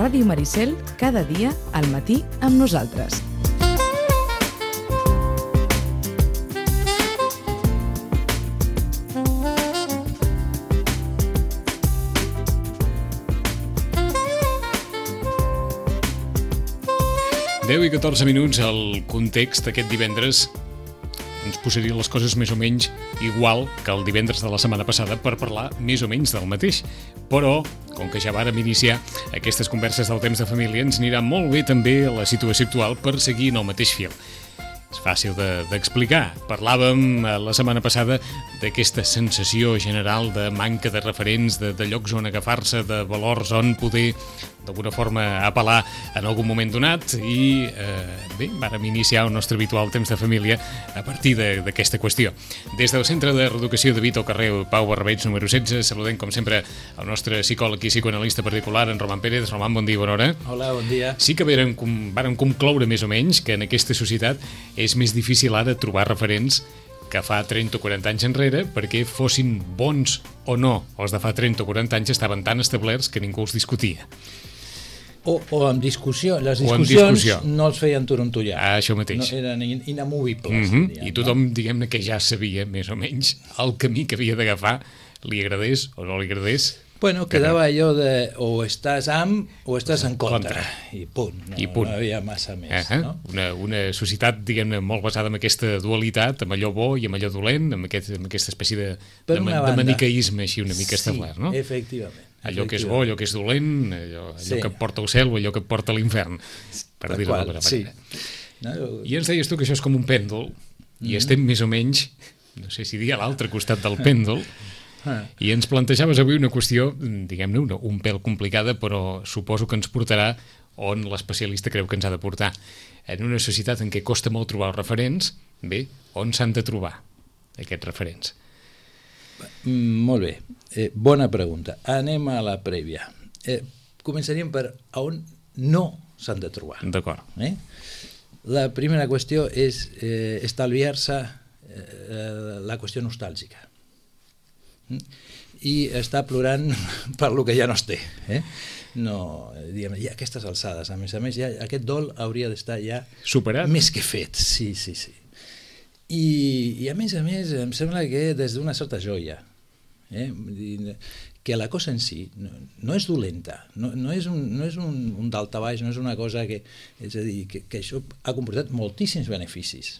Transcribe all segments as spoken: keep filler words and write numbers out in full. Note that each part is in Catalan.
Ràdio Maricel, cada dia al matí amb nosaltres. deu i catorze minuts. El context aquest divendres ens posaria les coses més o menys igual que el divendres de la setmana passada per parlar més o menys del mateix. Però, com que ja vàrem iniciar aquestes converses del temps de família, ens anirà molt bé també la situació actual per seguir en el mateix fil. És fàcil de, d'explicar. Parlàvem la setmana passada d'aquesta sensació general de manca de referents, de, de llocs on agafar-se, de valors on poder d'alguna forma apel·lar en algun moment donat i eh, bé, vàrem iniciar el nostre habitual temps de família a partir de, d'aquesta qüestió. Des del Centre de Reeducació de Vic, al carrer Pau Barbeig, número setze, saludem com sempre el nostre psicòleg i psicoanalista particular, en Roman Pérez. Roman, bon dia, bona hora. Hola, bon dia. Sí que vàrem, vàrem concloure més o menys que en aquesta societat és més difícil ara trobar referents que fa trenta o quaranta anys enrere, perquè fossin bons o no. Els de fa trenta o quaranta anys estaven tan establerts que ningú els discutia. O, o amb discussió. Les amb discussions discussió. No els feien torontollar. Ah, això mateix. No, eren inamovibles. Mm-hmm. Diríem, I tothom, no? diguem-ne, que ja sabia, més o menys, el camí que havia d'agafar, li agradés o no li agradés. Bueno, quedava allò de o estàs amb o estàs en contra. contra. I punt. No, I punt. No havia massa més. Uh-huh. No? Una, una societat, diguem-ne, molt basada en aquesta dualitat, amb allò bo i amb allò dolent, amb, aquest, amb aquesta espècie de, de, de maniqueisme així una mica establert, no? Sí, efectivament. Allò que és bo, allò que és dolent, allò, allò sí. que et porta al cel o allò que et porta a l'infern, per dir-ho d'alguna manera. Sí. No? I ens deies tu que això és com un pèndol, mm. i estem més o menys, no sé si dir a l'altre costat del pèndol, ah. i ens plantejaves avui una qüestió, diguem-ne, una, un pèl complicada, però suposo que ens portarà on l'especialista creu que ens ha de portar. En una societat en què costa molt trobar els referents, bé, on s'han de trobar aquests referents? Molt bé, eh, bona pregunta. Anem a la prèvia. Eh, començaríem per on no s'han de trobar. D'acord. Eh? La primera qüestió és eh, estalviar-se eh, la qüestió nostàlgica. I està plorant per lo que ja no es té. Eh? No, diguem, ja aquestes alçades, a més a més, ja, aquest dol hauria d'estar ja superat, més que fet. Sí, sí, sí. I, i a més a més em sembla que des d'una certa joia, eh? que la cosa en si no, no és dolenta, no, no és, un, no és un, un daltabaix, no és una cosa que, és a dir, que, que això ha comportat moltíssims beneficis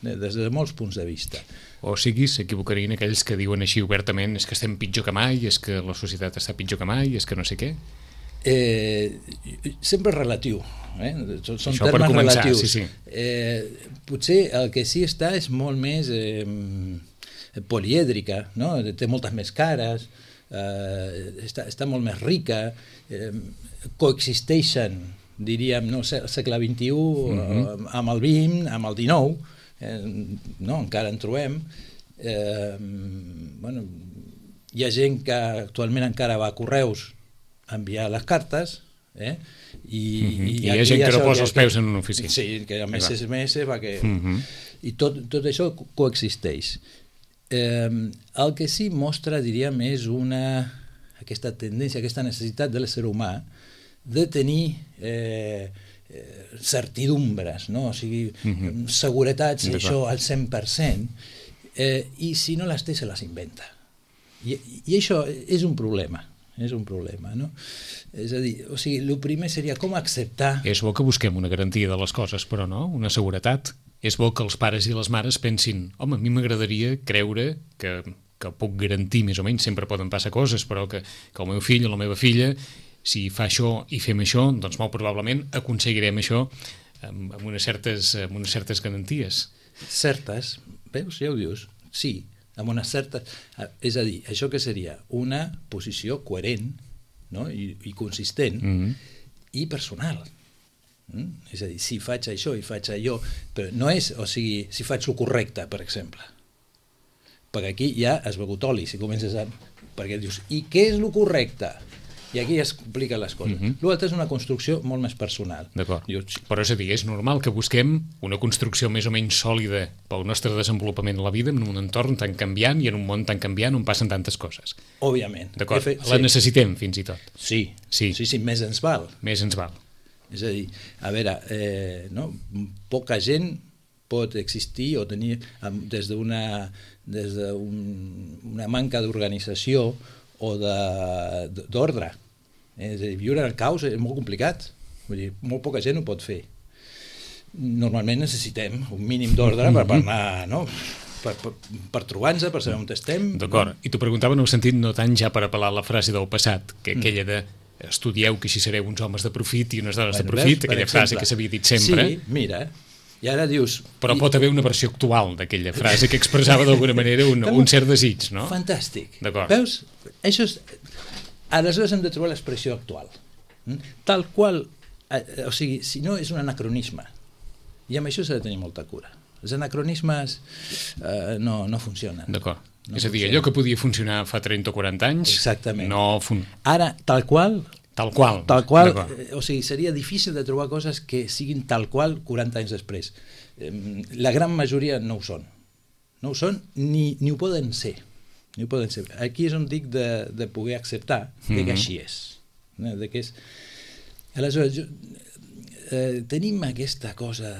des de molts punts de vista. O sigui, s'equivocarien aquells que diuen així obertament és que estem pitjor que mai, és que la societat està pitjor que mai, és que no sé què. Eh, sempre relatiu, eh? Són això termes començar, relatius. Sí, sí. Eh, potser el que sí està és molt més eh, polièdrica, no? Té moltes més cares, eh, està, està molt més rica, eh, coexisteixen, diríem, no, segle vint-i-u, mm-hmm. amb el vint, amb el dinou, eh, no? Encara en trobem. Eh, bueno, hi ha gent que actualment encara va a correus enviar les cartes, eh? I, mm-hmm. i, I hi ha gent que no posa els peus en una oficina. Sí, que amb S M S va que... Mm-hmm. I tot, tot això coexisteix. Eh, el que sí mostra, diríem, és una, aquesta tendència, aquesta necessitat de l'ésser humà de tenir eh, certidumbres, no? O sigui, mm-hmm. seguretats, això al cent per cent, eh, i si no les té se les inventa. I, i això és un problema. És un problema, no? És a dir, o sigui, el primer seria com acceptar... És bo que busquem una garantia de les coses, però no? Una seguretat. És bo que els pares i les mares pensin, home, a mi m'agradaria creure que, que puc garantir més o menys, sempre poden passar coses, però que, que el meu fill o la meva filla, si fa això i fem això, doncs molt probablement aconseguirem això amb, amb, unes, certes, amb unes certes garanties. Certes, veus, ja ho dius, sí, amb una certa... És a dir, això que seria una posició coherent, no? I, i consistent, mm-hmm. i personal. Mm? És a dir, si faig això i faig allò, però no és, o sigui, si faig el correcte, per exemple. Perquè aquí ja has begut oli, si comences a... Perquè dius, i què és el correcte? I aquí es compliquen les coses. Mm-hmm. L'altre és una construcció molt més personal. D'acord. Dius, Però és a dir, és normal que busquem una construcció més o menys sòlida pel nostre desenvolupament a la vida en un entorn tan canviant i en un món tan canviant on passen tantes coses. òbviament. D'acord, Fe- la sí. necessitem fins i tot. Sí. Sí. sí, sí, més ens val. Més ens val. És a dir, a veure, eh, no? poca gent pot existir o tenir amb- des d'una des d'una manca d'organització o de- d'ordre. És a dir, viure en el caos és molt complicat. Vull dir, molt poca gent ho pot fer. Normalment necessitem un mínim d'ordre per, per anar, no? per, per, per trobar-nos, per saber on estem. D'acord. I t'ho preguntava en el sentit no tant ja per apel·lar a la frase del passat, que aquella de estudieu que així sereu uns homes de profit i unes dones Bueno, de profit, veus, per aquella exemple. frase que s'havia dit sempre. Sí, mira, i ara dius... Però i- pot haver una versió actual d'aquella frase que expressava d'alguna manera un, un cert desig, no? Fantàstic. D'acord. Veus? Això és... Aleshores hem de trobar l'expressió actual. Mm? Tal qual... Eh, o sigui, si no és un anacronisme. I amb això s'ha de tenir molta cura. Els anacronismes eh, no, no funcionen. D'acord. No és a dir, funciona. allò que podia funcionar fa trenta o quaranta anys Exactament. no fun... Ara, tal qual... Tal qual. Tal qual, D'acord. eh, o sigui, seria difícil de trobar coses que siguin tal qual quaranta anys després. Eh, la gran majoria no ho són. No ho són ni, ni ho poden ser. Ni ho poden ser. Aquí és on dic de, de poder acceptar de que Mhm. així és. No? De que és... Aleshores, jo, eh, tenim aquesta cosa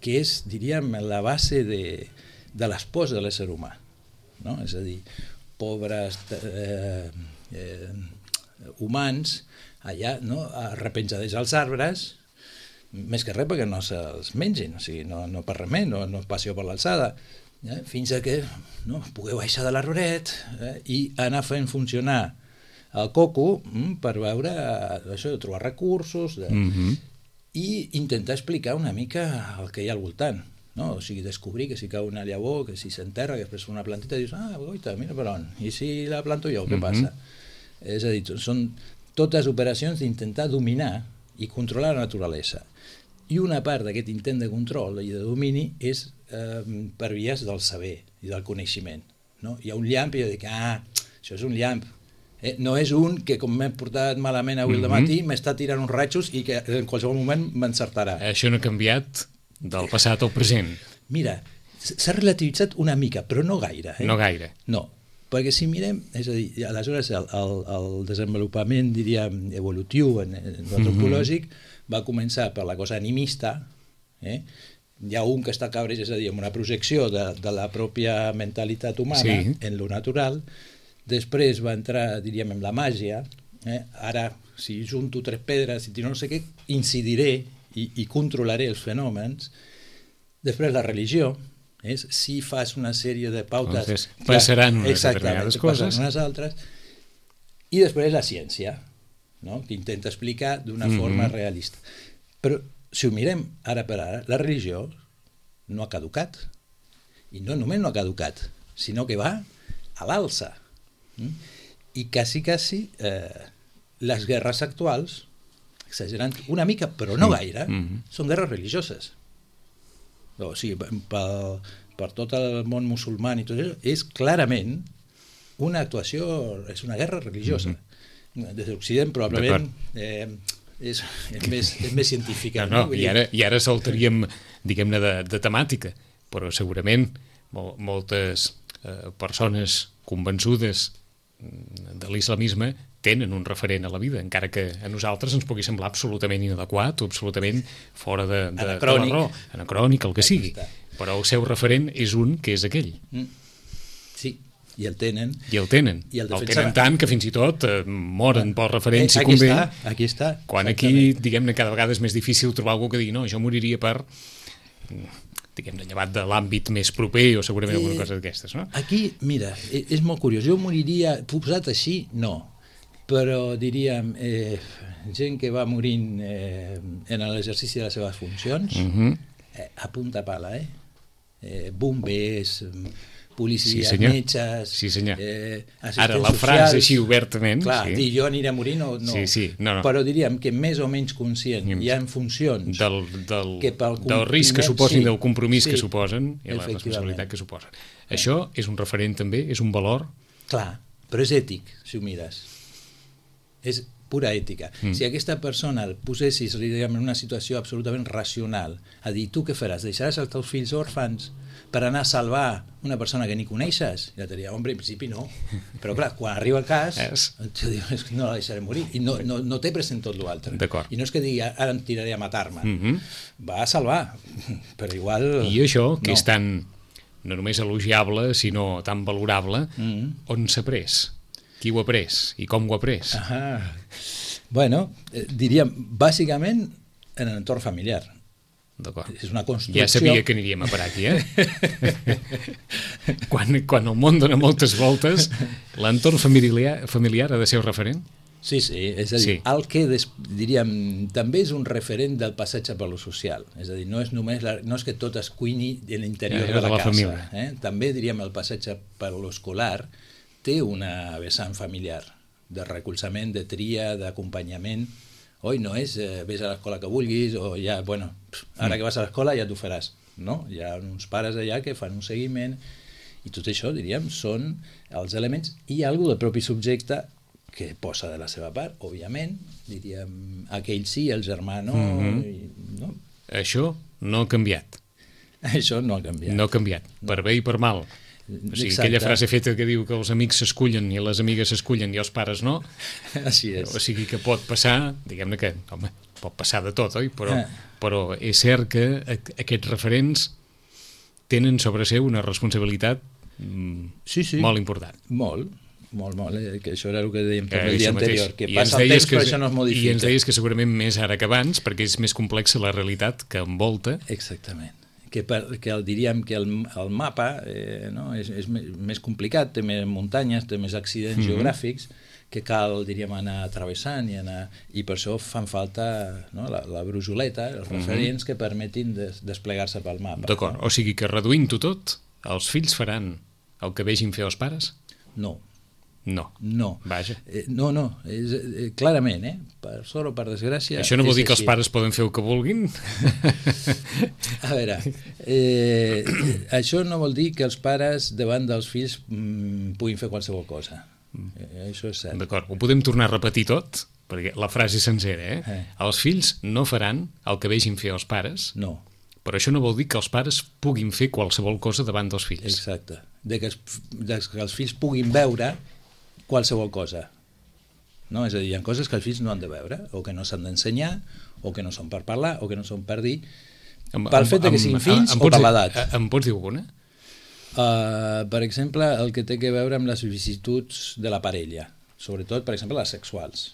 que és, diríem, la base de, de l'espòs de l'ésser humà. No? És a dir, pobres eh, eh, humans allà, no? Arrepenjadets als arbres, més que res perquè no se'ls mengin, o sigui, no, no per res més, no, no passió per l'alçada, eh? Fins a que no, pugueu baixar de l'arboret eh? I anar fent funcionar el coco mm, per veure eh, això, de trobar recursos de... Mhm. i intentar explicar una mica el que hi ha al voltant, no? O sigui, descobrir que si cau una llavor, que si s'enterra, que després una plantita, dius, ah, goita, mira per on, i si la planto jo, què Mhm. passa? És a dir, són totes operacions d'intentar dominar i controlar la naturalesa. I una part d'aquest intent de control i de domini és eh, per vies del saber i del coneixement. No? Hi ha un llamp i jo dic, ah, això és un llamp. Eh, no és un que, com m'he portat malament avui al Mhm. matí, m'està tirant uns ratxos i que en qualsevol moment m'encertarà. Això no ha canviat del passat al present. Mira, s'ha relativitzat una mica, però no gaire. Eh? No gaire. No, perquè si mirem, és a dir, aleshores el, el, el desenvolupament, diríem, evolutiu, en, en l'antropològic, va començar per la cosa animista, eh? Hi ha un que està cabreig, és a dir, amb una projecció de, de la pròpia mentalitat humana Sí. en lo natural. Després va entrar, diríem, en la màgia. Eh? Ara, si junto tres pedres, si no sé què, incidiré i, i controlaré els fenòmens. Després la religió, és si fas una sèrie de pautes... Entonces, passaran unes exactament, determinades passaran coses. unes altres. I després la ciència, no? Que intenta explicar d'una Mhm. forma realista. Però si ho mirem ara per ara, la religió no ha caducat. I no només no ha caducat, sinó que va a l'alça. Mm? I quasi, quasi, eh, les guerres actuals, exagerant una mica, però no gaire, Mhm. són guerres religioses. O sigui, per, per tot el món musulmà i tot això, és clarament una actuació, és una guerra religiosa. Des de l'Occident, probablement, eh, és, és, més, és més científica. No, no, Vull i dir, ara, i ara saltaríem, diguem-ne, de, de temàtica, però segurament mol, moltes eh, persones convençudes mm, de l'islamisme tenen un referent a la vida, encara que a nosaltres ens pugui semblar absolutament inadequat o absolutament fora de, de, Anacrònic. de la raó, anacrònic, el que Aquí sigui. està. Però el seu referent és un que és aquell. Mm. Sí, i el tenen. I el tenen. I el el defensa- tenen tant que fins i tot eh, moren pel referent, si Eh, aquí convé. està, aquí està. Quan aquí, diguem-ne, cada vegada és més difícil trobar algú que digui no, jo moriria per, diguem-ne, llevat de l'àmbit més proper o segurament alguna cosa d'aquestes, no? Aquí, mira, e- és molt curiós. Jo moriria, posat així, no. Però diríem, eh, gent que va morint eh, en l'exercici de les seves funcions, Mhm. eh, a punta pala, eh? eh bombers, policies, Sí, senyor. metges... Sí, senyor. Eh, Ara, la assistents frase socials. així obertament, Clar, sí. dir jo aniré a morir, no, no. Sí, sí, no, no. Però diríem que més o menys conscient Mm. hi ha funcions del, del, que pel del risc que compromís- suposin, sí, del compromís sí, que suposen i la efectivament. responsabilitat que suposen. Això és un referent també, és un valor. Clar, però és ètic, si ho mires. és pura ètica. Mm. Si aquesta persona el posessis diguem, en una situació absolutament racional, a dir, tu què faràs? Deixaràs els teus fills òrfans per anar a salvar una persona que ni coneixes? I la diria, home, en principi no. Però clar, quan arriba el cas, dius, no la deixaré morir. I no, no, no té present tot l'altre. I no és que digui, ara em tiraré a matar-me. Mm-hmm. Va a salvar, però igual... I això, que no. és tan, no només elogiable, sinó tan valorable, mm-hmm. on s'ha pres? Qui ho ha pres? I com ho ha pres? Ah, bueno, eh, diríem, bàsicament en l'entorn familiar. D'acord. És una construcció... Ja sabia que aniríem a parar aquí, eh? quan, quan el món dona moltes voltes, l'entorn familiar, familiar ha de ser un referent? Sí, sí, és a dir, sí. el que des, diríem, també és un referent del passatge per lo social, és a dir, no és només la, no és que tot es cuini en l'interior ja, de, la de la casa, família. Eh? També diríem el passatge per lo escolar té una vessant familiar de recolzament, de tria, d'acompanyament. Oi, no és eh, vés a l'escola que vulguis o ja, bueno, ara que vas a l'escola ja t'ho faràs, no? Hi ha uns pares allà que fan un seguiment i tot això, diríem, són els elements i algo del propi subjecte que posa de la seva part, òbviament, diríem, aquell sí, el germà no, mm-hmm. i, no? Això no ha canviat. Això no ha canviat. No ha canviat, no. Per bé i per mal. O sigui, exacte. Aquella frase feta que diu que els amics s'escullen i les amigues s'escullen i els pares no. Així és. O sigui que pot passar, diguem-ne que, home, pot passar de tot, oi? Però, eh. però és cert que aquests referents tenen sobre seu una responsabilitat mm, sí, sí. molt important. Molt, molt, molt. Eh? Que això era el que dèiem també el dia anterior, que I passa el temps que, però això no es modifica. I ens deies que segurament més ara que abans, perquè és més complexa la realitat que envolta. Exactament. Que, per, que el, diríem que el, el mapa eh, no? és, és més complicat, té més muntanyes, té més accidents mm-hmm. geogràfics que cal, diríem, anar travessant i, anar, i per això fan falta no? la, la brujoleta, els referents mm-hmm. que permetin des, desplegar-se pel mapa. D'acord, no? O sigui que reduint-ho tot, els fills faran el que vegin fer els pares? No. No. No. Vaja. Eh, no, no, és, eh, clarament, eh? Per sort o per desgràcia... Això no vol dir que els pares poden fer el que vulguin? A veure, eh, això no vol dir que els pares davant dels fills mm, puguin fer qualsevol cosa. Eh, això és cert. D'acord, ho podem tornar a repetir tot? Perquè la frase sencera, eh? eh? Els fills no faran el que vegin fer els pares, no. Però això no vol dir que els pares puguin fer qualsevol cosa davant dels fills. Exacte. De que els, de que els fills puguin veure qualsevol cosa. No? És a dir, hi ha coses que els fills no han de veure, o que no s'han d'ensenyar, o que no són per parlar, o que no són per dir, em, pel fet de que siguin fills o per l'edat. Em pots dir alguna? Uh, per exemple, el que té que veure amb les vicissituds de la parella, sobretot, per exemple, les sexuals.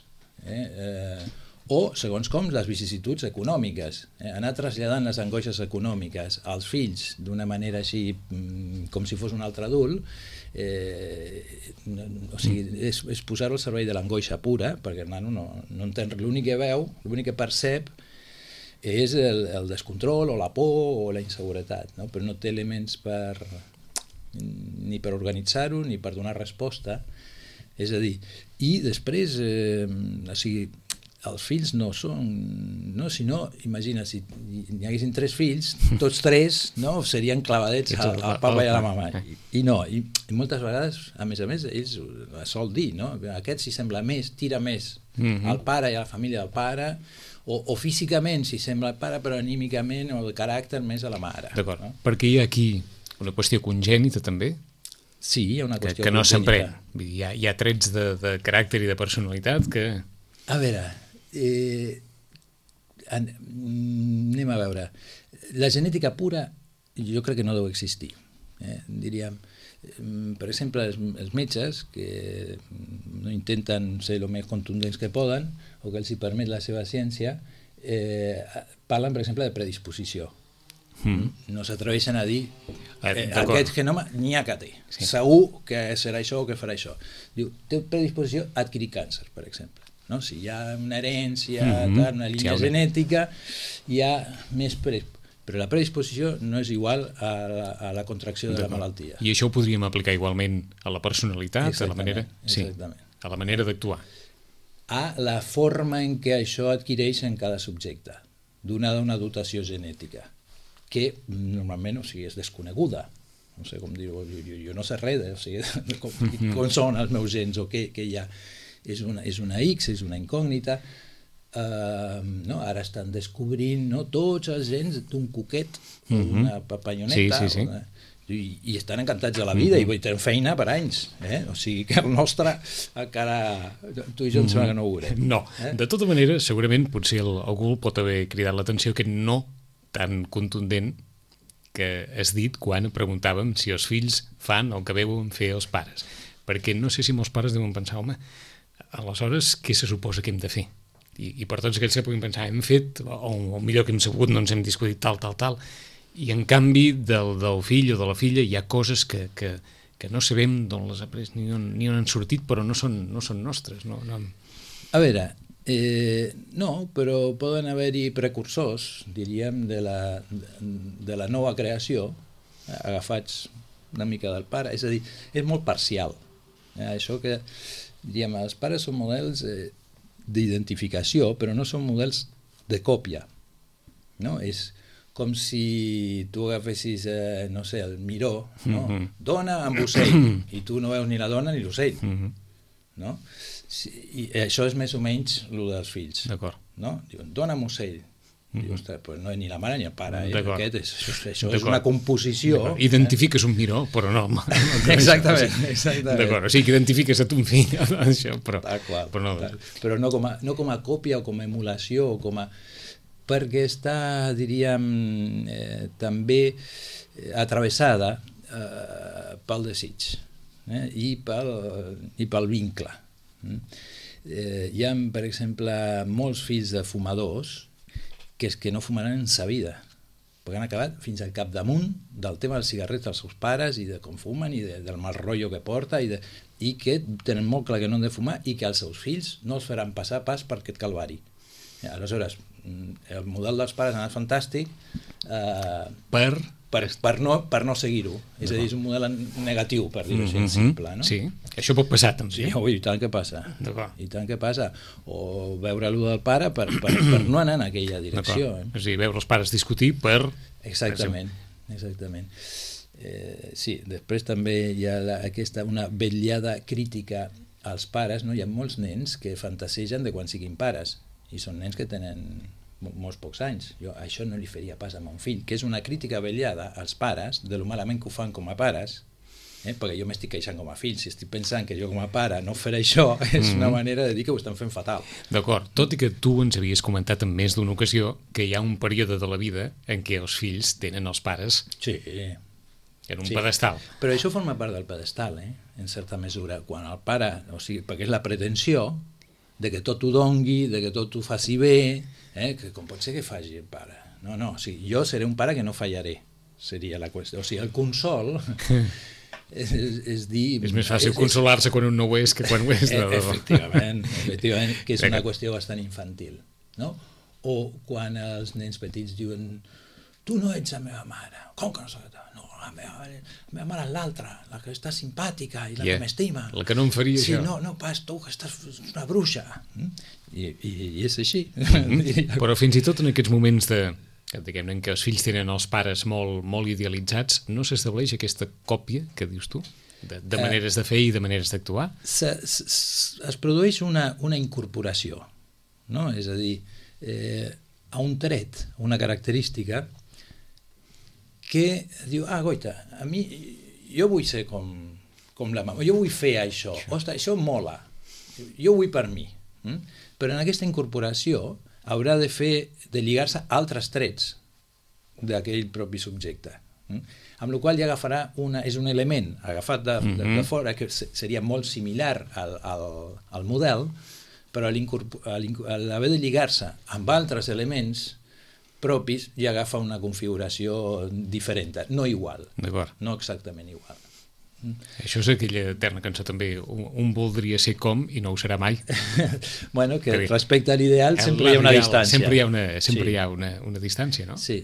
Eh? Eh, o, segons com, les vicissituds econòmiques. Eh? Anar traslladant les angoixes econòmiques als fills d'una manera així, com si fos un altre adult, eh, no, o sigui, és, és posar-ho al servei de l'angoixa pura, perquè el nano no, no entén, l'únic que veu, l'únic que percep és el, el descontrol o la por o la inseguretat, no? Però no té elements per ni per organitzar-ho ni per donar resposta. És a dir, i després eh, o sigui, els fills no són, no, si no, imagina, si n'hi haguessin tres fills, tots tres no, serien clavadets al, al papa i a la mama. I, i no, i, i moltes vegades, a més a més, ells sol dir, no? Aquest si sembla més, tira més mm-hmm. al pare i a la família del pare, o, o físicament si sembla el pare, però anímicament o de caràcter més a la mare. D'acord, no? Perquè hi ha aquí una qüestió congènita també, sí, hi ha una qüestió que, que no s'emprèn. Hi, ha, hi ha trets de, de caràcter i de personalitat que... A veure... Eh, an, anem a veure, la genètica pura jo crec que no deu existir, eh? Diríem, per exemple, els, els metges que no intenten ser el més contundents que poden o que els hi permet la seva ciència, eh, parlen, per exemple, de predisposició. Mm. No s'atreveixen a dir eh, aquest genoma n'hi ha que té, sí. Segur que serà això o que farà això. Diu, té predisposició a adquirir càncer, per exemple. No? Si hi ha una herència, mm-hmm. una línia sí, genètica, hi ha més predisposició. Però la predisposició no és igual a la, a la contracció de la malaltia. I això ho podríem aplicar igualment a la personalitat, a la manera, sí, exactament. A la manera d'actuar. A la forma en què això adquireix en cada subjecte, donada una dotació genètica, que normalment, o sigui, és desconeguda. No sé com dir-ho, jo, jo no sé res, o sigui, com, com són els meus gens o què, què hi ha. és una, és una X, és una incògnita. Uh, no? Ara estan descobrint, no? Tots els gens d'un cuquet, mm-hmm. una papalloneta, sí, sí, sí. Una, i, i estan encantats de la vida, mm-hmm. i tenen feina per anys, eh? O sigui que el nostre encara, tu i jo em sembla que no ho veurem. No, eh? De tota manera, segurament potser el, algú pot haver cridat l'atenció aquest no tan contundent que has dit quan preguntàvem si els fills fan el que veuen fer els pares, perquè no sé si molts pares deuen pensar, home, aleshores què se suposa que hem de fer? I, i per tots aquells que puguin pensar hem fet, o, o millor que hem sabut, no ens hem discutit tal, tal, tal, i en canvi del, del fill o de la filla hi ha coses que, que, que no sabem d'on les ha pres ni on, ni on han sortit, però no són, no són nostres. No, no. A veure, eh, no, però poden haver-hi precursors, diríem, de la, de la nova creació, agafats una mica del pare, és a dir, és molt parcial. Eh, això que, diríem, els pares són models eh, d'identificació, però no són models de còpia, no? És com si tu agafessis, eh, no sé, el miró, no? Mm-hmm. Dona amb ocell, i tu no veus ni la dona ni l'ocell, mm-hmm. no? Sí, i això és més o menys el dels fills. D'acord. No? Diuen, dona amb ocell. Mm-hmm. Diu, ostres, pues no és ni la mare ni el pare, eh? Aquest és, això, això és una composició. Identifiques eh? un miró, però no. no exactament, exactament. D'acord, o sigui que identifiques a ton fill, això, però, qual, però no. Tal. Però no com, a, no com a còpia o com a emulació, o com a... perquè està, diríem, eh, també atravessada eh, pel desig eh? I, pel, i pel vincle. Eh, hi ha, per exemple, molts fills de fumadors que és que no fumaran en sa vida, perquè han acabat fins al capdamunt del tema dels cigarrets dels seus pares i de com fumen i de, del mal rotllo que porta i, de, i que tenen molt clar que no han de fumar i que els seus fills no els faran passar pas per aquest calvari. Aleshores, el model dels pares ha anat fantàstic eh, per, per, per no, per no seguir-ho. És a dir, és un model negatiu, per dir-ho així, mm-hmm. simple. No? Sí, això pot passar també. Sí, ui, i tant que passa. I tant que passa. O veure-lo del pare per, per, per no anar en aquella direcció. Eh? És a dir, veure els pares discutir per... Exactament, exactament. Eh, sí, després també hi ha la, aquesta, una vetllada crítica als pares, no? Hi ha molts nens que fantasegen de quan siguin pares, i són nens que tenen molts pocs anys. Jo això no li faria pas a mon fill, que és una crítica vetllada als pares de lo malament que ho fan com a pares, eh? Perquè jo m'estic queixant com a fill, si estic pensant que jo com a pare no faré això, és mm-hmm. una manera de dir que ho estan fent fatal. D'acord, tot i que tu ens havies comentat en més d'una ocasió que hi ha un període de la vida en què els fills tenen els pares sí. en un sí. pedestal. Però això forma part del pedestal, eh? En certa mesura. Quan el pare, o sigui, perquè és la pretensió de que tot ho dongui, de que tot ho faci bé, eh? Que com pot ser que faci el pare? No, no, o sigui, jo seré un pare que no fallaré, seria la qüestió. O sigui, el consol és, és, és dir... És més fàcil consolar-se quan un no ho és que quan ho és. E efectivament, efectivament, que és una qüestió bastant infantil, no? O quan els nens petits diuen tu no ets la meva mare, com que no soc la no, la meva, la meva mare és l'altra, la que està simpàtica i la yeah. que m'estima. La que no em faria sí, això. No, no, pas tu, que estàs una bruixa. I, i, i és així. Mm-hmm. Però fins i tot en aquests moments de, diguem-ne, en què els fills tenen els pares molt, molt idealitzats, no s'estableix aquesta còpia que dius tu? De, de maneres de fer i de maneres d'actuar? Es produeix una, una incorporació, no? És a dir, eh, a un tret, una característica que diu, ah, goita, a mi, jo vull ser com, com la mama, jo vull fer això, ostres, això mola, jo vull per mi. Mm? Però en aquesta incorporació haurà de fer, de lligar-se a altres trets d'aquell propi subjecte. Mm? Amb la qual cosa ja agafarà una, és un element agafat de, de, de fora que seria molt similar al, al, al model, però a l'haver de lligar-se amb altres elements propis ja agafa una configuració diferent, no igual, no exactament igual. Això és aquella eterna cançó també, un, un voldria ser com i no ho serà mai. Bueno, que respecte a l'ideal sempre hi ha una distància. Sempre hi ha una, sempre sí. hi ha una, una distància, no? Sí.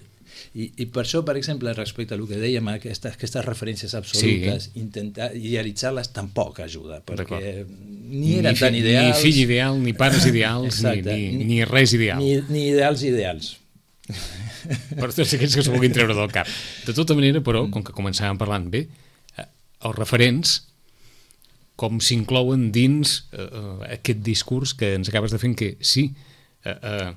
I, i per això, per exemple, respecte al que dèiem, aquestes, aquestes referències absolutes, sí. intentar idealitzar-les tampoc ajuda, perquè ni eren ni tan ideals... Ni fill ideal, ni pares ideals, ni, ni, ni, ni res ideal. Ni, ni ideals ideals. Per tots aquells que s'ho vulguin treure del cap. De tota manera, però, com que començàvem parlant bé, els referents com s'inclouen dins eh, eh, aquest discurs que ens acabes de fer, que sí, eh, eh,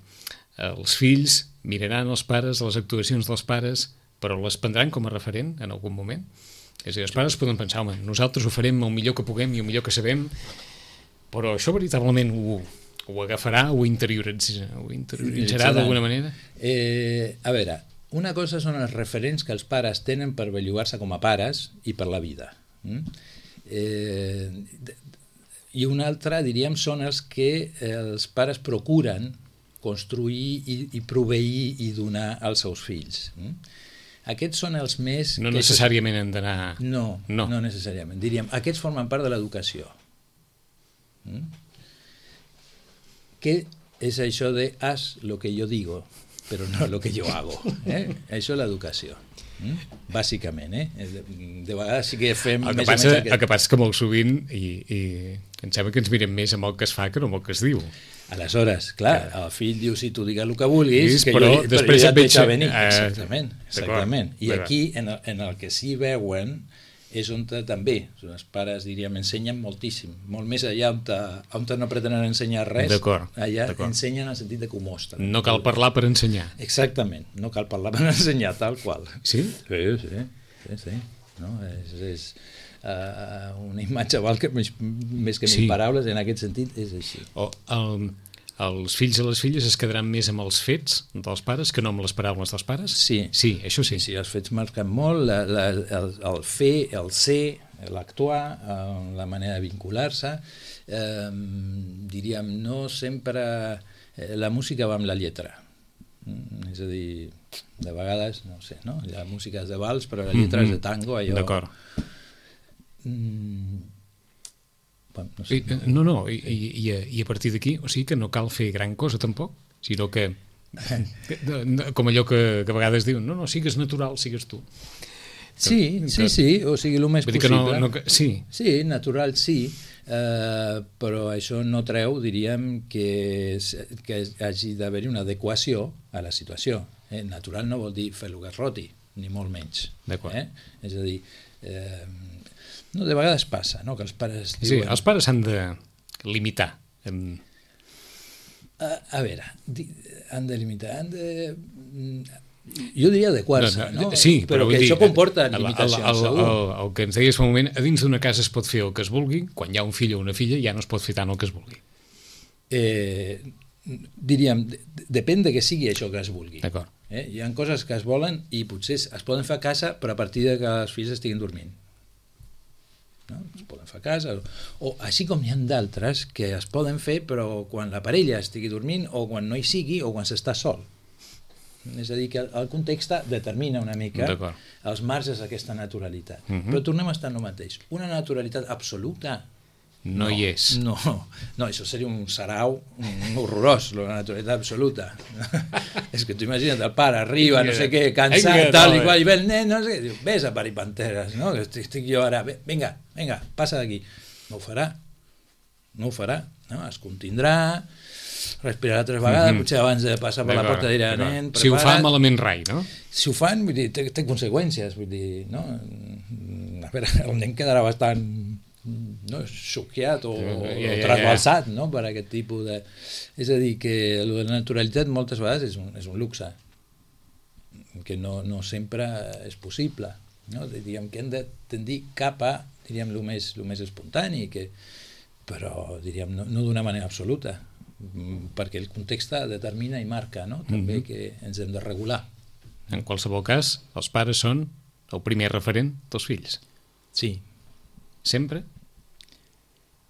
els fills miraran els pares, les actuacions dels pares, però les prendran com a referent en algun moment. És a dir, els pares poden pensar, home, nosaltres ho farem el millor que puguem i el millor que sabem, però això veritablement ho, ho agafarà, ho interioritzarà, ho interioritzarà d'alguna manera? Eh, a veure, una cosa són els referents que els pares tenen per bellugar-se com a pares i per la vida. Mm? Eh, I una altra, diríem, són els que els pares procuren construir i, i proveir i donar als seus fills. Mm? Aquests són els més... No necessàriament han d'anar... No, no, no necessàriament. Diríem, aquests formen part de l'educació. Mm? Què és això de haz lo que yo digo, però no lo que yo hago? Eh? Això és l'educació. Mm? Bàsicament, eh? De, de vegades sí que fem... El que, més passa, o menys aquest... el que passa que molt sovint, i, i em sembla que ens mirem més amb el que es fa que no amb el que es diu. Aleshores, clar, el fill diu, si tu digues el que vulguis, que però jo, després però jo ja et veig... deixa venir. Eh, exactament, exactament. I aquí, en el, en el que sí veuen, és on també, els pares, diríem, ensenyen moltíssim, molt més allà on, te, on te no pretenen ensenyar res, allà ensenyen en el sentit de que ho mostren. No cal parlar per ensenyar. Exactament, no cal parlar per ensenyar, tal qual. Sí? Sí, sí, sí, sí. No? És, és uh, una imatge val que més, més que mil sí. paraules, en aquest sentit és així. O el, els fills i les filles es quedaran més amb els fets dels pares que no amb les paraules dels pares? Sí. Sí, això sí. Sí, els fets marquen molt, la, la, el, el fer, el ser, l'actuar, la manera de vincular-se. Eh, diríem, no sempre... Eh, la música va amb la lletra. Mm, és a dir, de vegades, no sé, no? Hi ha músiques de vals, però la lletra mm-hmm. és de tango, allò... D'acord. Mm, No, sé. I, no, no, i, i, i a partir d'aquí, o sigui que no cal fer gran cosa tampoc, sinó que, com allò que, que a vegades diuen, no, no, sigues natural, sigues tu. Sí, que, sí, sí, o sigui, el més possible. No, no, sí. Sí, natural sí, eh, però això no treu, diríem, que, que hagi d'haver-hi una adequació a la situació. Eh? Natural no vol dir fer el que es roti, ni molt menys. D'acord. Eh? És a dir... Eh, No, de vegades passa, no?, que els pares diuen... Sí, els pares s'han de limitar. En... A, a veure, di, han de limitar, han de... Jo diria adequar-se, no? no? Sí, però, però que dir, això comporta limitacions, el, el, el, segur. El, el que ens deies fa un moment, a dins d'una casa es pot fer el que es vulgui, quan hi ha un fill o una filla ja no es pot fer tant el que es vulgui. Eh, diríem, depèn de que sigui això que es vulgui. D'acord. Eh? Hi ha coses que es volen i potser es poden fer a casa, però a partir de que els fills estiguin dormint. No? Es poden fer a casa, o, o així com n'hi ha d'altres que es poden fer però quan la parella estigui dormint o quan no hi sigui o quan s'està sol. És a dir, que el context determina una mica els marges d'aquesta naturalitat. Uh-huh. Però tornem a estar en el mateix. Una naturalitat absoluta no, no hi és. No, no, això seria un sarau un horrorós, la naturalitat absoluta. És que tu imagina't, el pare arriba, no sé què, cansat, tal i qual, i ve el nen, no sé què, diu, vés a parir panteres, no? Estic, estic jo ara, vinga, vinga, passa d'aquí. No ho farà, no ho farà, no? Es contindrà, respirarà tres vegades, mm-hmm. potser abans de passar per la porta dirà, nen, prepara't. Si ho fa malament rai, no? Si ho fan, vull dir, té, té conseqüències, vull dir, no? A veure, el nen quedarà bastant... no, xoqueat o, yeah, yeah, o trasbalsat, no? Per aquest tipus de... És a dir, que la naturalitat moltes vegades és un, és un luxe que no, no sempre és possible, no? Diríem que hem de tendir cap a, diríem, el més, el més espontani, que, però diríem no, no d'una manera absoluta, perquè el context determina i marca, no? També mm-hmm. que ens hem de regular. En qualsevol cas, els pares són el primer referent dels fills. Sí. Sempre?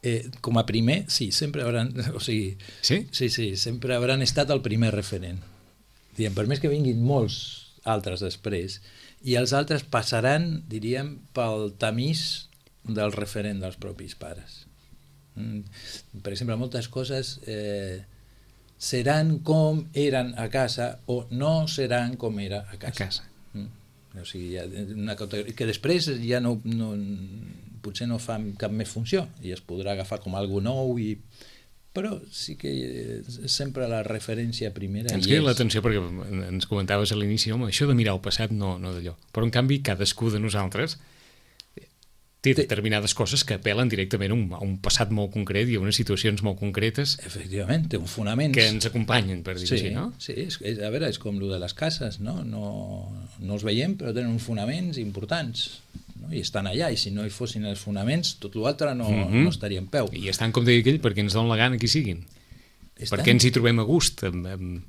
Eh, com a primer, sí, sempre hauran... O sigui, sí? Sí, sí, sempre hauran estat el primer referent. Diem, per més que vinguin molts altres després, i els altres passaran, diríem, pel tamís del referent dels propis pares. Mm. Per exemple, moltes coses eh, seran com eren a casa o no seran com era a casa. A casa. Mm. O sigui, ja una categoria, que després ja no, no, potser no fa cap més funció i es podrà agafar com algo nou, i, però sí que sempre la referència primera ens queda l'atenció perquè ens comentaves a l'inici, home, això de mirar el passat no, no d'allò, però en canvi cadascú de nosaltres té determinades coses que apel·len directament a un, a un passat molt concret i a unes situacions molt concretes. Efectivament, té uns fonaments. Que ens acompanyen, per dir-ho sí, així, no? Sí, és, és, a veure, és com el de les cases, no? No, no els veiem, però tenen uns fonaments importants, no? I estan allà, i si no hi fossin els fonaments, tot l'altre no, mm-hmm. no estaria en peu. I estan, com deia aquell, perquè ens donen la gana que siguin. Estan... Perquè ens hi trobem a gust, amb, amb...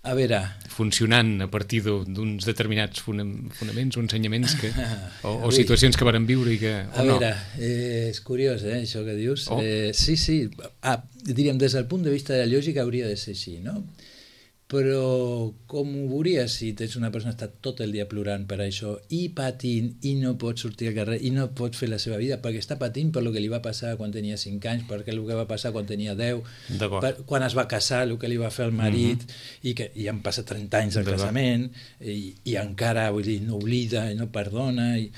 A veure... funcionant a partir d'uns determinats fonaments o ensenyaments que, o, o situacions que varen viure i que... A no. veure, eh, és curiós, eh, això que dius. Oh. Eh, sí, sí, ah, diríem, des del punt de vista de la lògica hauria de ser així, no? Però com ho veuries si tens una persona que està tot el dia plorant per això i patint i no pot sortir al carrer i no pot fer la seva vida perquè està patint per el que li va passar quan tenia cinc anys, perquè el que va passar quan tenia deu, per, quan es va casar, el que li va fer el marit, mm-hmm. i que i han passat trenta anys del casament i, i encara, vull dir, no oblida i no perdona i,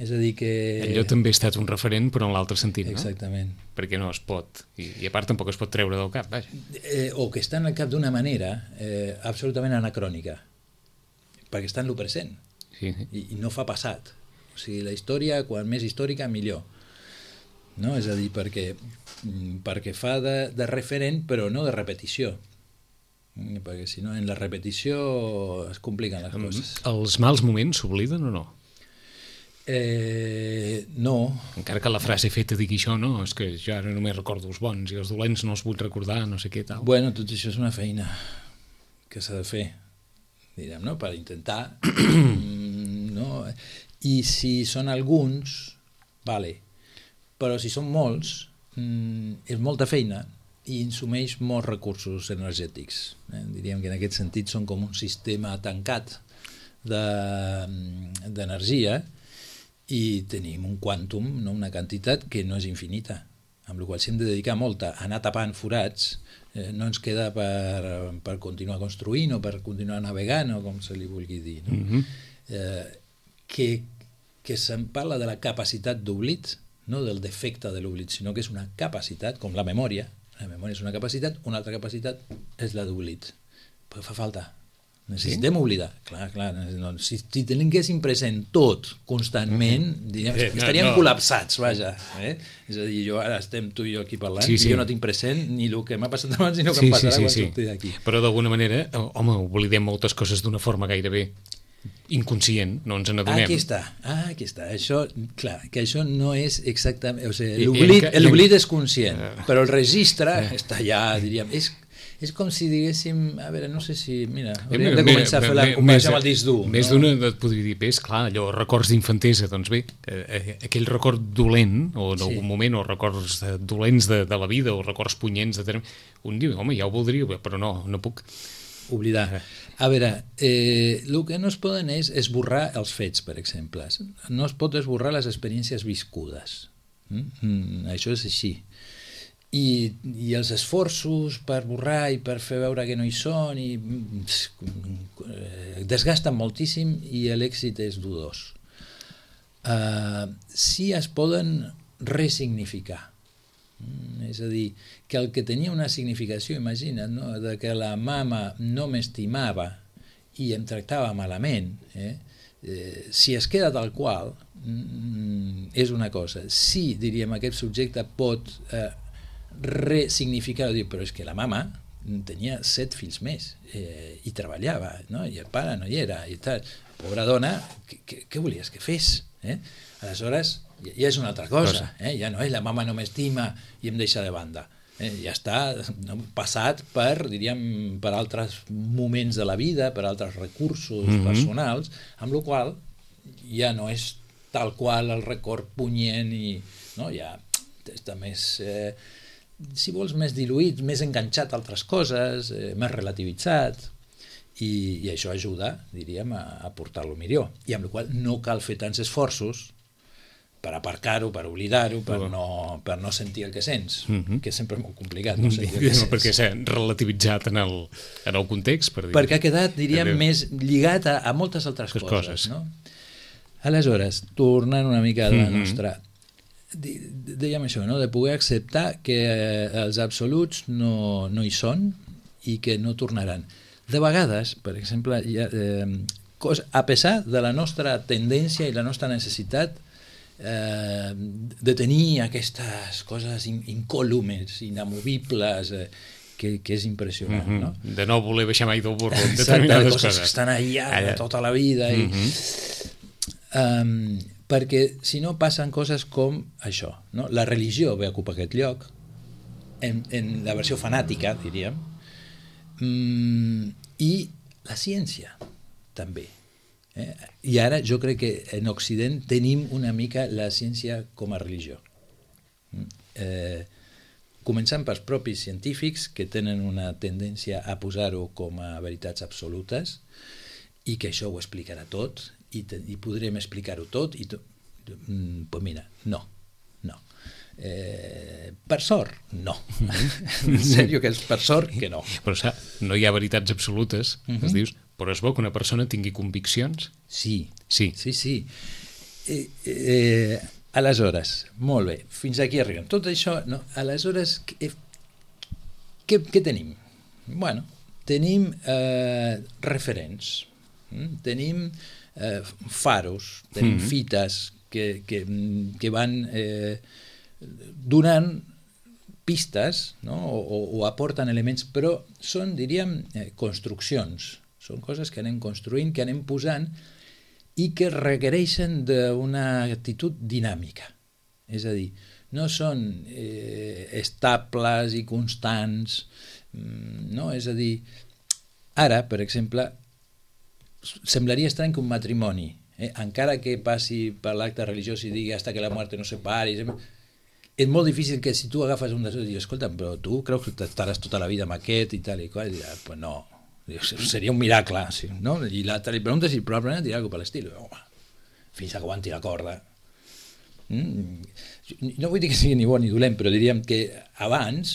és a dir que... Allò també ha estat un referent però en l'altre sentit, no? Exactament. Perquè no es pot, i, i a part tampoc es pot treure del cap, vaja. Eh, o que està en el cap d'una manera eh, absolutament anacrònica, perquè està en el present, sí, sí. I, i no fa passat. O sigui, la història, quan més històrica, millor. No? És a dir, perquè, perquè fa de, de referent, però no de repetició. Perquè si no, en la repetició es compliquen les coses. Els mals moments s'obliden o no? Eh, no. Encara que la frase feta digui això, no, és que jo ara només recordo els bons i els dolents no els vull recordar, no sé què tal. Bueno, tot això és una feina que s'ha de fer, direm, no? Per intentar no? I si són alguns, vale, però si són molts és molta feina i insumeix molts recursos energètics, eh? Diríem que en aquest sentit són com un sistema tancat d'energia de, i tenim un quàntum, no? Una quantitat que no és infinita, amb la qual si hem de dedicar molta a anar tapant forats, eh, no ens queda per, per continuar construint o per continuar navegant o com se li vulgui dir, no? Mm-hmm. eh, que, que se'n parla de la capacitat d'oblit, no del defecte de l'oblit, sinó que és una capacitat, com la memòria, la memòria és una capacitat, una altra capacitat és la d'oblit, però fa falta. Necessitem sí? oblidar, clar, clar, no, si, si tinguéssim present tot constantment, mm-hmm. diguem, eh, estaríem no, no. col·lapsats, vaja, eh? És a dir, jo ara estem tu i jo aquí parlant sí, sí. i jo no tinc present ni el que m'ha passat abans ni el que sí, em passarà sí, sí, quan sí. surti d'aquí. Però d'alguna manera, home, oblidem moltes coses d'una forma gairebé inconscient, no ens n'adonem. Aquí està, ah, aquí està, això, clar, que això no és exactament, o sigui, l'oblit és conscient, però el registre està allà, diríem, és és com si diguéssim, a veure, no sé si, mira, hauríem de començar a fer la comparació amb el disc dur. Més no? d'una et podria dir, és clar, allò, records d'infantesa, doncs bé, eh, aquell record dolent, o en sí. algun moment, o records dolents de, de la vida, o records punyents, de... un diu, home, ja ho voldria, però no, no puc. Oblidar. A veure, eh, el que no es poden és esborrar els fets, per exemple. No es pot esborrar les experiències viscudes. Mm? Mm, això és així. I, i els esforços per borrar i per fer veure que no hi són i eh, desgasten moltíssim i l'èxit és dudós. Uh, sí es poden resignificar, mm, és a dir, que el que tenia una significació, imagina't, no? De que la mama no m'estimava i em tractava malament, eh? Eh, si es queda tal qual, mm, és una cosa. Sí, diríem, aquest subjecte pot eh, resignificar, dir, però és que la mama tenia set fills més eh, i treballava, no? I el pare no hi era i tal. Pobra dona, què volies que fes? Eh? Aleshores ja, ja és una altra cosa, eh? Ja no és la mama no m'estima i em deixa de banda, eh? Ja està no, passat per, diríem, per altres moments de la vida, per altres recursos mm-hmm. personals, amb la qual ja no és tal qual el record punyent i no? Ja està més eh, si vols, més diluït, més enganxat a altres coses, eh, més relativitzat, i, i això ajuda, diríem, a, a portar-lo millor. I amb la qual no cal fer tants esforços per aparcar-ho, per oblidar-ho, per, no, per no sentir el que sents, mm-hmm. que és sempre molt complicat. No sentir el que sents. Perquè s'ha relativitzat en el, en el context. Per dir. Perquè ha quedat, diríem, Adeu. més lligat a, a moltes altres coses. coses. No? Aleshores, tornant una mica a la mm-hmm. nostra... dèiem això, no? De poder acceptar que els absoluts no, no hi són i que no tornaran. De vegades, per exemple, ja, eh, a pesar de la nostra tendència i la nostra necessitat eh, de tenir aquestes coses incòlumes, inamovibles, eh, que, que és impressionant, mm-hmm. no? De no voler baixar mai del burro en Exacte, determinades coses coses. que estan allà, allà tota la vida. I, mm-hmm. um, perquè si no passen coses com això, no? La religió ve a ocupar aquest lloc, en, en la versió fanàtica, diríem, um, i la ciència també. Eh? I ara jo crec que en Occident tenim una mica la ciència com a religió. Eh, començant pels propis científics, que tenen una tendència a posar-ho com a veritats absolutes, i que això ho explicarà tot, i, te, i podrem explicar-ho tot, i to... mm, pues mira, no, no. Eh, per sort, no. En sèrio que és per sort que no. Però sap, no hi ha veritats absolutes, uh-huh. es dius, però és bo que una persona tingui conviccions? Sí, sí, sí. sí. Eh, eh, aleshores, molt bé, fins aquí arribem. Tot això, no? Aleshores, què, què, què tenim? Bueno, tenim eh, referents, mm? tenim eh, faros, tenim mm-hmm. fites que, que, que van eh, donant pistes, no? o, o aporten elements, però són, diríem, eh, construccions. Són coses que anem construint, que anem posant i que requereixen d'una actitud dinàmica. És a dir, no són eh, estables i constants, no? És a dir, ara, per exemple, semblaria estrany que un matrimoni, eh, encara que passi per l'acte religiós i digui hasta que la muerte no separi, és molt difícil que si tu agafes un dels dos i dius, escolta, però tu creus que estaràs tota la vida amb aquest i tal i qual, i diràs, pues no, seria un miracle, sí, no? I l'altre li pregunta si probablement dirà alguna per l'estil, home, fins que aguanti la corda. Mm? No vull dir que sigui ni bo ni dolent, però diríem que abans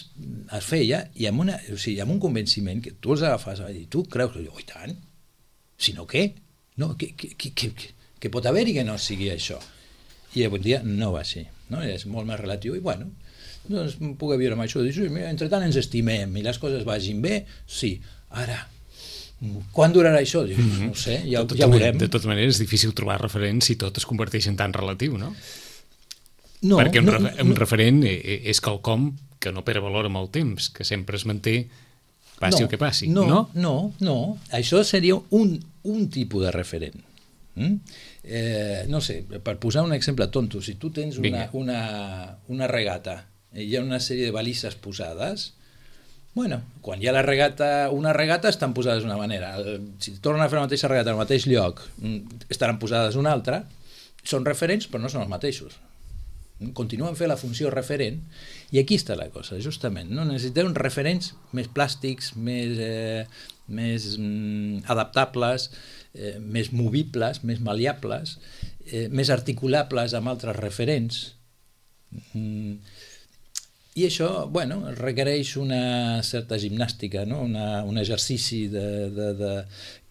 es feia i amb, una, o sigui, amb un convenciment que tu els agafes i tu creus que, oh, i tant, si no què? No, que, que, que, que, que pot haver-hi que no sigui això. I avui dia no va ser, no? És molt més relatiu i bueno, doncs puc viure amb això. Dius, entre tant ens estimem i les coses vagin bé, sí, ara quan durarà això? Dius, no ho sé, ja, ja ho veurem. De tota manera és difícil trobar referents si tot es converteix en tan relatiu, no? No, perquè un, no, re un no. referent és quelcom que no perd valor amb el temps, que sempre es manté passi no, el que passi, no? No, no, no. Això seria un, un tipus de referent. Mm? Eh, no sé, per posar un exemple tonto, si tu tens una, una, una regata i hi ha una sèrie de balises posades, bueno, quan hi ha la regata, una regata estan posades d'una manera, si tornen a fer la mateixa regata al mateix lloc estaran posades una altra, són referents però no són els mateixos, continuen fent la funció referent i aquí està la cosa, justament, no? Necessitem referents més plàstics, més, eh, més mm, adaptables, eh, més movibles, més maleables, eh, més articulables amb altres referents. Mm. I això, bueno, requereix una certa gimnàstica, no? Una, un exercici de, de, de,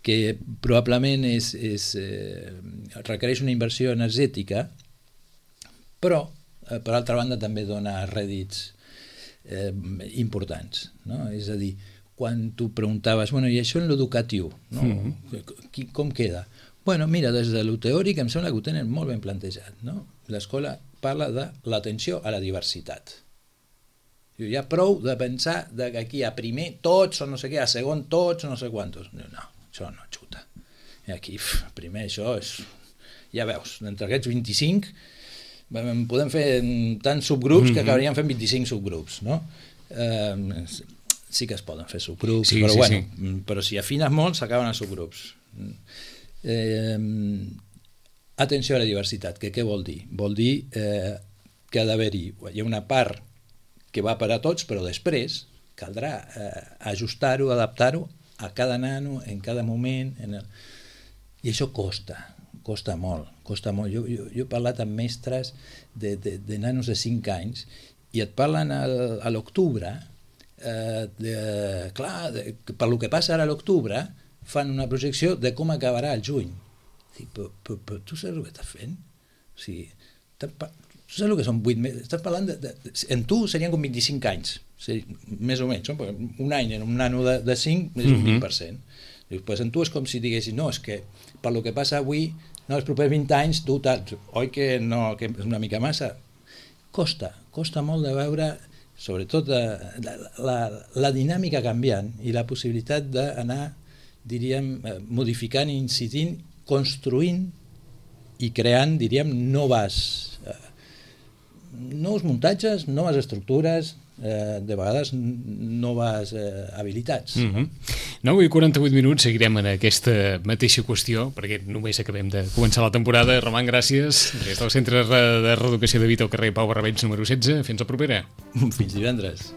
que probablement és, és, eh, requereix una inversió energètica, però, eh, per altra banda, també dona rèdits eh, importants, no? És a dir, quan tu preguntaves, bueno, i això en l'educatiu, no? Mm-hmm. Com queda? Bueno, mira, des de lo teòric em sembla que ho tenen molt ben plantejat, no? L'escola parla de l'atenció a la diversitat. Hi ha prou de pensar de que aquí a primer tots o no sé què, a segon tots o no sé quantos. No, no, això no xuta. I aquí, primer això és... Ja veus, d'entre aquests vint-i-cinc podem fer tants subgrups que acabaríem fent vint-i-cinc subgrups, no? Eh, sí que es poden fer subgrups, sí, però sí, bueno, sí. Però si afines molt s'acaben els subgrups. Eh, atenció a la diversitat, que què vol dir? Vol dir eh, que ha d'haver-hi, hi ha una part que va per a tots, però després caldrà eh, ajustar-ho, adaptar-ho a cada nano, en cada moment, en el... i això costa, costa molt, costa molt. Jo, jo, jo he parlat amb mestres de, de, de nanos de cinc anys i et parlen al, a l'octubre, eh, de, clar, de, per lo que passa ara a l'octubre, fan una projecció de com acabarà el juny. Dic, però, però, però tu saps el que estàs fent? O sigui, tu saps el que són vuit mesos? Estàs parlant de, de, en tu serien com vint-i-cinc anys, sí, més o menys, no? Un any en un nano de, de cinc és un vint per cent. Dius, pues en tu és com si diguessis, no, és que per lo que passa avui no, els propers vint anys tu tal, oi que no, que és una mica massa. Costa, costa molt de veure, sobretot la, la, la dinàmica canviant i la possibilitat d'anar, diríem, modificant, incidint, construint i creant, diríem, noves, eh, nous muntatges, noves estructures, eh, de vegades noves eh, habilitats. Mm-hmm. nou i quaranta-vuit minuts seguirem en aquesta mateixa qüestió, perquè només acabem de començar la temporada. Roman, gràcies. Des del Centre de Reeducació de Vita al carrer Pau Barrabets número setze. Fins la propera. Fins divendres.